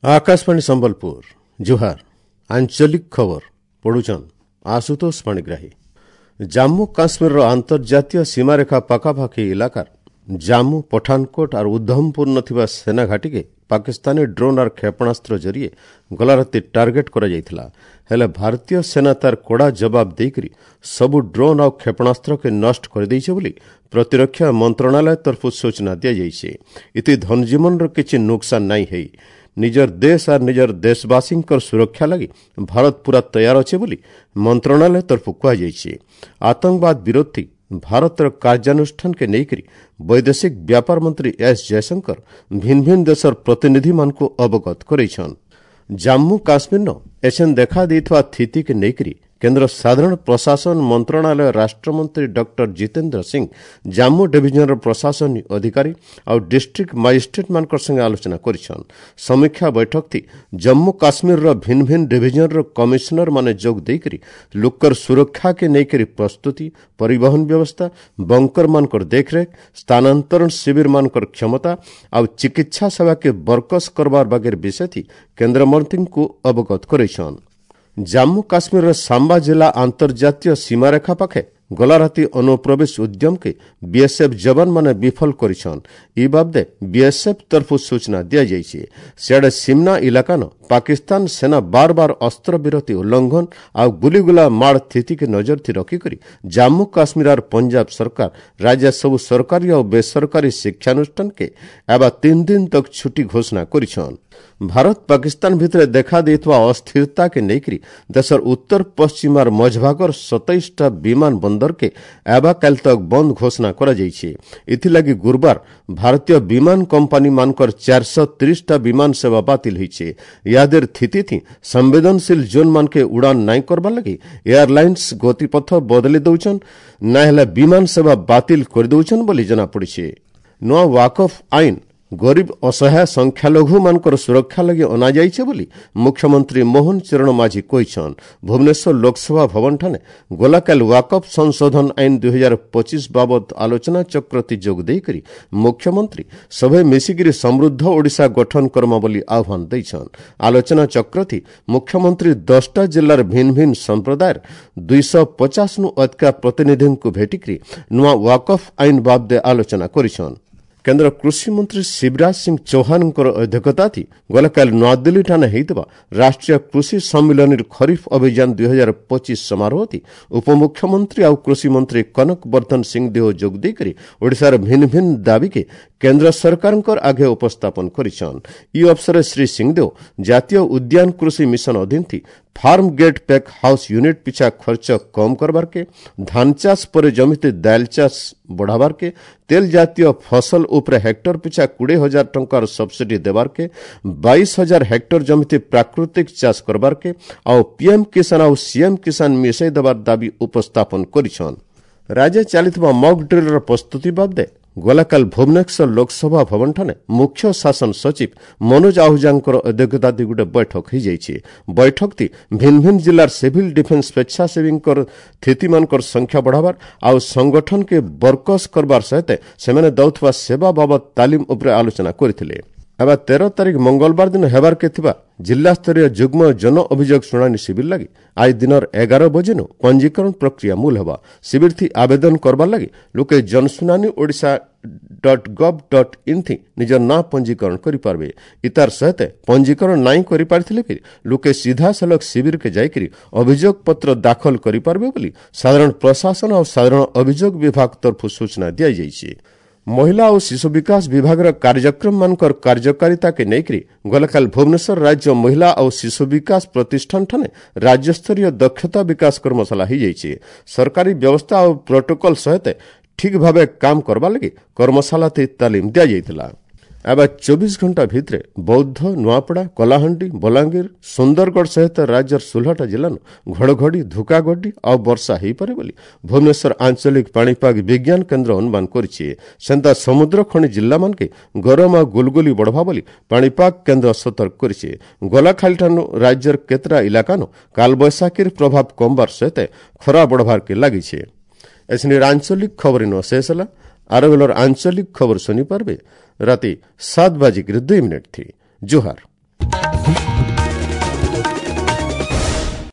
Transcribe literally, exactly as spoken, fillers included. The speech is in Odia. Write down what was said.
ଆକାଶବାଣୀ ସମ୍ବଲପୁର ଜୁହାର ଆଞ୍ଚଳିକ ଖବର ପଢୁଛନ୍ ଆଶୁତୋଷ ପାଣିଗ୍ରାହୀ ଜାମ୍ମୁ କାଶ୍ମୀରର ଆନ୍ତର୍ଜାତୀୟ ସୀମାରେଖା ପାଖାପାଖି ଇଲାକାର ଜାମ୍ମୁ ପଠାନକୋଟ ଆର୍ ଉଦ୍ଧମପୁର ଥିବା ସେନା ଘାଟିକେ ପାକିସ୍ତାନୀ ଡ୍ରୋନ୍ ଆର୍ କ୍ଷେପଣାସ୍ତ୍ର ଜରିଏ ଗଲା ରାତି ଟାର୍ଗେଟ କରାଯାଇଥିଲା ହେଲେ ଭାରତୀୟ ସେନା ତାର କଡ଼ା ଜବାବ ଦେଇକରି ସବୁ ଡ୍ରୋନ୍ ଆଉ କ୍ଷେପଣାସ୍ତ୍ରକେ ନଷ୍ଟ କରିଦେଇছে ବୋଲି ପ୍ରତିରକ୍ଷା ମନ୍ତ୍ରଣାଳୟ ତରଫରୁ ସୂଚନା ଦିଆଯାଇଛି ଇତି ଧନଜୀବନର କିଛି ନୁକସାନ ନାଇଁ ହେଇ ନିଜର ଦେଶ ଆର୍ ନିଜର ଦେଶବାସୀଙ୍କର ସୁରକ୍ଷା ଲାଗି ଭାରତ ପୁରା ତୟାର ଅଛେ ବୋଲି ମନ୍ତ୍ରଣାଳୟ ତରଫରୁ କୁହାଯାଇଛି ଆତଙ୍କବାଦ ବିରୋଧୀ ଭାରତର କାର୍ଯ୍ୟାନୁଷ୍ଠାନକେ ନେଇକରି ବୈଦେଶିକ ବ୍ୟାପାର ମନ୍ତ୍ରୀ ଏସ୍ ଜୟଶଙ୍କର ଭିନ୍ନ ଭିନ୍ନ ଦେଶର ପ୍ରତିନିଧିମାନଙ୍କୁ ଅବଗତ କରାଇଛନ୍ ଜାମ୍ମୁ କାଶ୍ମୀରନ ଏଛେନ୍ ଦେଖା ଦେଇଥିବା ସ୍ଥିତିକେ ନେଇକରି କେନ୍ଦ୍ର ସାଧାରଣ ପ୍ରଶାସନ ମନ୍ତ୍ରଣାଳୟ ରାଷ୍ଟ୍ରମନ୍ତ୍ରୀ ଡକ୍ଟର ଜିତେନ୍ଦ୍ର ସିଂ ଜାମ୍ମୁ ଡିଭିଜନର ପ୍ରଶାସନିକ ଅଧିକାରୀ ଆଉ ଡିଷ୍ଟ୍ରିକ୍ଟ ମାଜିଷ୍ଟ୍ରେଟମାନଙ୍କର ସାଙ୍ଗେ ଆଲୋଚନା କରିଛନ୍ ସମୀକ୍ଷା ବୈଠକଥି ଜମ୍ମୁ କାଶ୍ମୀରର ଭିନ୍ନ ଭିନ୍ନ ଡିଭିଜନର କମିଶନରମାନେ ଯୋଗ ଦେଇକରି ଲୋକର ସୁରକ୍ଷାକେ ନେଇକରି ପ୍ରସ୍ତୁତି ପରିବହନ ବ୍ୟବସ୍ଥା ବଙ୍କରମାନଙ୍କର ଦେଖରେଖ ସ୍ଥାନାନ୍ତରଣ ଶିବିରମାନଙ୍କର କ୍ଷମତା ଆଉ ଚିକିତ୍ସା ସେବାକେ ବରକସ କରବାର ବାଗେର ବିଷୟଥି କେନ୍ଦ୍ରମନ୍ତ୍ରୀଙ୍କୁ ଅବଗତ କରାଇଛନ୍ ଜାମ୍ମୁ କାଶ୍ମୀରର ସାମ୍ବା ଜିଲ୍ଲା ଆନ୍ତର୍ଜାତୀୟ ସୀମାରେଖା ପାଖେ ଗଲା ରାତି ଅନୁପ୍ରବେଶ ଉଦ୍ୟମକେ ବିଏସ୍ଏଫ୍ ଯବାନମାନେ ବିଫଳ କରିଛନ୍ ଇ ବାବଦେ ବିଏସ୍ଏଫ୍ ତରଫରୁ ସୂଚନା ଦିଆଯାଇଛି ସିଆଡ଼େ ସିମନା ଇଲାକାନ ପାକିସ୍ତାନ ସେନା ବାର ବାର ଅସ୍ତ୍ରବିରତି ଉଲ୍ଲଂଘନ ଆଉ ଗୁଲିଗୁଲା ମାଡ଼ ସ୍ଥିତିକେ ନଜରଥି ରଖିକରି ଜାମ୍ମୁ କାଶ୍ମୀର ଆର୍ ପଞ୍ଜାବ ସରକାର ରାଜ୍ୟ ସବୁ ସରକାରୀ ଆଉ ବେସରକାରୀ ଶିକ୍ଷାନୁଷ୍ଠାନକେ ଏବା ତିନି ଦିନ ତକ ଛୁଟି ଘୋଷଣା କରିଛନ୍ ଭାରତ ପାକିସ୍ତାନ ଭିତରେ ଦେଖା ଦେଇଥିବା ଅସ୍ଥିରତାକେ ନେଇକରି ଦେଶର ଉତ୍ତର ପଶ୍ଚିମ ଆର୍ ମଝଭାଗର ସତେଇଶଟା ବିମାନ ବନ୍ଦରକେ ଏବା କାଲି ତକ ବନ୍ଦ ଘୋଷଣା କରାଯାଇଛି ଏଥିଲାଗି ଗୁରୁବାର ଭାରତୀୟ ବିମାନ କମ୍ପାନୀମାନଙ୍କର ଚାରିଶହ ତିରିଶଟା ବିମାନ ସେବା ବାତିଲ ହୋଇছে ଇହାଦେର ସ୍ଥିତି ସମ୍ବେଦନଶୀଳ ଜୋନ୍ମାନକେ ଉଡ଼ାନ ନାଇଁ କରବାର ଲାଗି ଏୟାରଲାଇନ୍ସ ଗତିପଥ ବଦଳି ଦଉଛନ୍ ନା ହେଲେ ବିମାନ ସେବା ବାତିଲ କରିଦେଉଛନ୍ ବୋଲି ଜଣାପଡ଼ିছে ନୂଆ ୱାକଫ୍ ଆଇନ ଗରିବ ଅସହାୟ ସଂଖ୍ୟାଲଘୁମାନଙ୍କର ସୁରକ୍ଷା ଲାଗି ଅଣାଯାଇଛି ବୋଲି ମୁଖ୍ୟମନ୍ତ୍ରୀ ମୋହନ ଚରଣ ମାଝୀ କହିଛନ୍ ଭୁବନେଶ୍ୱର ଲୋକସଭା ଭବନଠାରେ ଗଲାକାଲି ୱାକଫ୍ ସଂଶୋଧନ ଆଇନ ଦୁଇହଜାର ପଚିଶ ବାବଦ ଆଲୋଚନା ଚକ୍ରତି ଯୋଗ ଦେଇକରି ମୁଖ୍ୟମନ୍ତ୍ରୀ ସଭେ ମିଶିକିରି ସମୃଦ୍ଧ ଓଡ଼ିଶା ଗଠନ କର୍ମ ବୋଲି ଆହ୍ୱାନ ଦେଇଛନ୍ ଆଲୋଚନା ଚକ୍ରଥି ମୁଖ୍ୟମନ୍ତ୍ରୀ ଦଶଟା ଜିଲ୍ଲାର ଭିନ୍ନ ଭିନ୍ନ ସମ୍ପ୍ରଦାୟର ଦୁଇଶହ ପଚାଶନୁ ଅଧିକା ପ୍ରତିନିଧିଙ୍କୁ ଭେଟିକରି ନୂଆ ୱାକଫ୍ ଆଇନ ବାବଦେ ଆଲୋଚନା କରିଛନ୍ କେନ୍ଦ୍ର କୃଷିମନ୍ତ୍ରୀ ଶିବରାଜ ସିଂ ଚୌହାନଙ୍କର ଅଧ୍ୟକ୍ଷତାଥି ଗତକାଲି ନୂଆଦିଲ୍ଲୀଠାରେ ହୋଇଥିବା ରାଷ୍ଟ୍ରୀୟ କୃଷି ସମ୍ମିଳନୀର ଖରିଫ ଅଭିଯାନ ଦୁଇହଜାର ପଚିଶ ସମାରୋହଥି ଉପମୁଖ୍ୟମନ୍ତ୍ରୀ ଆଉ କୃଷିମନ୍ତ୍ରୀ କନକ ବର୍ଦ୍ଧନ ସିଂଦେଓ ଯୋଗ ଦେଇକରି ଓଡ଼ିଶାର ଭିନ୍ନ ଭିନ୍ନ ଦାବିକେ କେନ୍ଦ୍ର ସରକାରଙ୍କର ଆଗେ ଉପସ୍ଥାପନ କରିଛନ୍ ଇ ଅବସରରେ ଶ୍ରୀ ସିଂଦେଓ ଜାତୀୟ ଉଦ୍ୟାନ କୃଷି ମିଶନ ଅଧୀନ farm gate pack house unit ପିଛା ଖର୍ଚ୍ଚ କମ୍ କରବାରକେ ଧାନ ଚାଷ ପରେ ଜମିତେ ଦାଇଲ ଚାଷ ବଢ଼ାବାରକେ ତେଲ ଜାତୀୟ ଫସଲ ଉପରେ ହେକ୍ଟର ପିଛା କୋଡ଼ିଏ ହଜାର ଟଙ୍କାର ସବସିଡି ଦେବାରକେ ବାଇଶ ହଜାର ହେକ୍ଟର ଜମିତେ ପ୍ରାକୃତିକ ଚାଷ କରବାରକେ ଆଉ ପିଏମ୍ କିଷାନ ଆଉ ସିଏମ୍ କିଷାନ ମିଶାଇ ଦେବାର ଦାବି ଉପସ୍ଥାପନ କରିଛନ୍ ରାଜ୍ୟ ଚାଲିଥିବା ମକ୍ ଡ୍ରିଲ୍ର ପ୍ରସ୍ତୁତି ବାବଦେ ଗଲାକାଲି ଭୁବନେଶ୍ୱର ଲୋକସଭା ଭବନଠାରେ ମୁଖ୍ୟ ଶାସନ ସଚିବ ମନୋଜ ଆହୁଜାଙ୍କର ଅଧ୍ୟକ୍ଷତାରେ ଗୋଟେ ବୈଠକ ହୋଇଯାଇଛି ବୈଠକଟି ଭିନ୍ନ ଭିନ୍ନ ଜିଲ୍ଲାର ସିଭିଲ୍ ଡିଫେନ୍ସ ସ୍ୱେଚ୍ଛାସେବୀଙ୍କର ସ୍ଥିତିମାନଙ୍କର ସଂଖ୍ୟା ବଢ଼ାବାର ଆଉ ସଂଗଠନକେ ବରକସ କରବାର ସହିତ ସେମାନେ ଦେଉଥିବା ସେବା ବାବଦ ତାଲିମ ଉପରେ ଆଲୋଚନା କରିଥିଲେ ଏବେ ତେର ତାରିଖ ମଙ୍ଗଳବାର ଦିନ ହେବାରକେ ଥିବା ଜିଲ୍ଲାସ୍ତରୀୟ ଯୁଗ୍ମ ଜନ ଅଭିଯୋଗ ଶୁଣାଣି ଶିବିର ଲାଗି ଆଜି ଦିନର ଏଗାର ବଜେନୁ ପଞ୍ଜୀକରଣ ପ୍ରକ୍ରିୟା ମୂଲ ହେବା ଶିବିରଥି ଆବେଦନ କରବାର ଲାଗି ଲୋକେ Jansunani Odisha dot gov dot in ଥି ନିଜର ନାଁ ପଞ୍ଜୀକରଣ କରିପାରିବେ ଇତାର ସହିତ ପଞ୍ଜୀକରଣ ନାଇଁ କରିପାରିଥିଲେ ବି ଲୋକେ ସିଧାସଳଖ ଶିବିରକେ ଯାଇକରି ଅଭିଯୋଗ ପତ୍ର ଦାଖଲ କରିପାରିବେ ବୋଲି ସାଧାରଣ ପ୍ରଶାସନ ଆଉ ସାଧାରଣ ଅଭିଯୋଗ ବିଭାଗ ତରଫରୁ ସୂଚନା ଦିଆଯାଇଛି ମହିଳା ଓ ଶିଶୁ ବିକାଶ ବିଭାଗର କାର୍ଯ୍ୟକ୍ରମମାନଙ୍କର କାର୍ଯ୍ୟକାରିତାକେ ନେଇକରି ଗତକାଲି ଭୁବନେଶ୍ୱର ରାଜ୍ୟ ମହିଳା ଓ ଶିଶୁ ବିକାଶ ପ୍ରତିଷ୍ଠାନଠାରେ ରାଜ୍ୟସ୍ତରୀୟ ଦକ୍ଷତା ବିକାଶ କର୍ମଶାଳା ହୋଇଯାଇଛି ସରକାରୀ ବ୍ୟବସ୍ଥା ଓ ପ୍ରୋଟୋକଲ ସହିତ ଠିକ୍ ଭାବେ କାମ କରବା ଲାଗି କର୍ମଶାଳାଥି ତାଲିମ ଦିଆଯାଇଥିଲା ଏବେ ଚବିଶ ଘଣ୍ଟା ଭିତରେ ବୌଦ୍ଧ ନୂଆପଡ଼ା କଳାହାଣ୍ଡି ବଲାଙ୍ଗୀର ସୁନ୍ଦରଗଡ଼ ସହିତ ରାଜ୍ୟର ଷୋହଳଟା ଜିଲ୍ଲାନୁ ଘଡ଼ଘଡ଼ି ଧୁକାଗଡ଼ି ଆଉ ବର୍ଷା ହୋଇପାରେ ବୋଲି ଭୁବନେଶ୍ୱର ଆଞ୍ଚଳିକ ପାଣିପାଗ ବିଜ୍ଞାନ କେନ୍ଦ୍ର ଅନୁମାନ କରିଛି ସେନ୍ତା ସମୁଦ୍ର ଖଣି ଜିଲ୍ଲାମାନକେ ଗରମ ଆଉ ଗୁଲଗୁଲି ବଢ଼ବା ବୋଲି ପାଣିପାଗ କେନ୍ଦ୍ର ସତର୍କ କରିଛି ଗଲାଖାଲିଠାନୁ ରାଜ୍ୟର କେତେଟା ଇଲାକାନୁ କାଲବୈଶାଖୀର ପ୍ରଭାବ କମବାର ସହିତ ଖରା ବଢ଼ବାରକେ ଲାଗିଛି ଏସିନିର ଆଞ୍ଚଳିକ ଖବର ଇନ ଶେଷ ହେଲା ଆର ବେଲର ଆଞ୍ଚଳିକ ଖବର ଶୁଣିପାରିବେ ରାତି ସାତ ବାଜିକିରି ଦୁଇ ମିନିଟ୍ ଥି ଜୁହାର